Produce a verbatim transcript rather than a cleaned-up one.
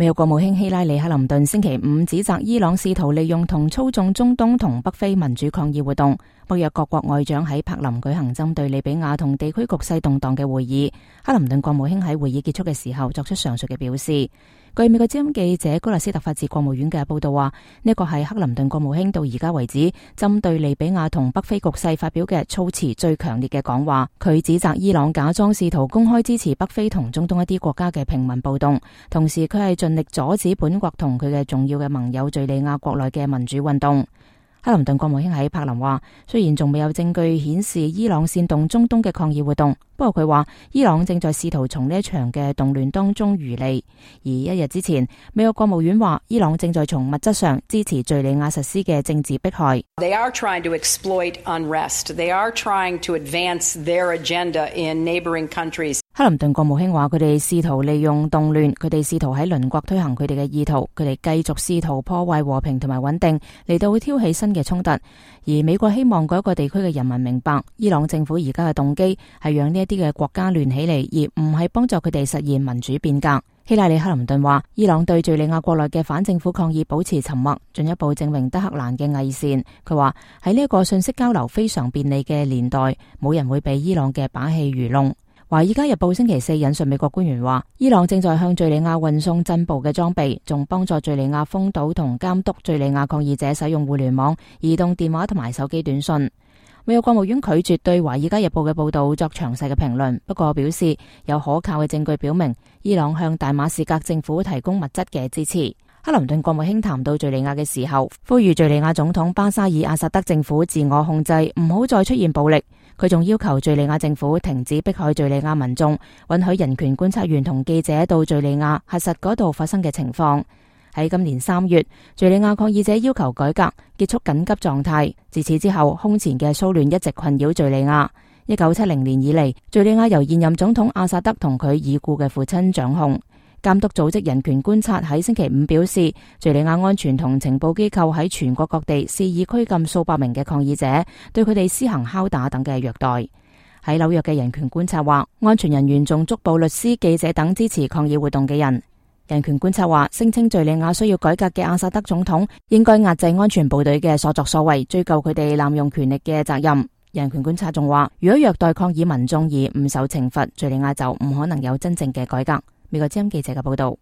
美國國務卿希拉里·克林頓星期五指責伊朗試圖利用同操縱中東同北非民主抗議活動。北約各國外長喺柏林舉行針對利比亞同地區局勢動盪嘅會議。克林頓國務卿喺會議結束嘅時候作出上述嘅表示。據美國之音記者高勒斯特發自國務院嘅報道話，呢個係克林頓國務卿到而家為止針對利比亞同北非局勢發表嘅措辭最強烈嘅講話。佢指責伊朗假裝試圖公開支持北非同中東一啲國家嘅平民暴動，同時佢係盡力阻止本國同佢嘅重要嘅盟友敘利亞國內嘅民主運動。克林頓國務卿喺柏林話，雖然仲未有證據顯示伊朗煽動中東嘅抗議活動，不過佢話伊朗正在試圖從呢一場嘅動亂當中漁利。而一日之前，美國國務院話伊朗正在從物質上支持敘利亞實施嘅政治迫害。They are trying to exploit unrest. They are trying to advance their agenda in neighboring countries. 克林頓國務卿話佢哋試圖利用動亂，佢哋試圖喺鄰國推行佢哋嘅意圖，佢哋繼續試圖破壞和平同埋穩定，嚟到挑起新嘅衝突。而美國希望嗰個地區嘅人民明白，伊朗政府而家嘅動機係讓呢一啲嘅國家亂起嚟，而唔係幫助佢哋實現民主變革。希拉里·克林頓話，伊朗對敘利亞國內嘅反政府抗議保持沉默，進一步證明德黑蘭嘅偽善。佢話喺呢一個信息交流非常便利嘅年代，冇人會被伊朗嘅把戲愚弄。華爾街日報星期四引述美國官員話，伊朗正在向敘利亞運送進步嘅裝備，仲幫助敘利亞封堵同監督敘利亞抗議者使用互聯網、移動電話同埋手機短信。美國國務院拒絕對華爾街日報嘅報道作詳細嘅評論，不過表示有可靠嘅證據表明伊朗向大馬士革政府提供物質嘅支持。克林頓國務卿談到敘利亞嘅時候，呼籲敘利亞總統巴沙爾阿薩德政府自我控制，唔好再出現暴力。佢仲要求敘利亞政府停止迫害敘利亞民眾，允許人權觀察員同記者到敘利亞核實嗰度發生嘅情況。喺今年三月，敘利亞抗議者要求改革，結束緊急狀態。自此之後，空前嘅騷亂一直困擾敘利亞。一九七零年以嚟，敘利亞由現任總統阿薩德同佢已故嘅父親掌控。監督組織人權觀察喺星期五表示，敘利亞安全同情報機構喺全國各地肆意拘禁數百名嘅抗議者，對佢哋施行敲打等嘅虐待。喺紐約嘅人權觀察話，安全人員仲捉捕律師、記者等支持抗議活動嘅人。人權觀察話，聲稱敘利亞需要改革嘅阿薩德總統應該壓制安全部隊嘅所作所為，追究佢哋濫用權力嘅責任。人權觀察仲話，如果虐待抗議民眾而唔受懲罰，敘利亞就唔可能有真正嘅改革。美國之音記者嘅報道。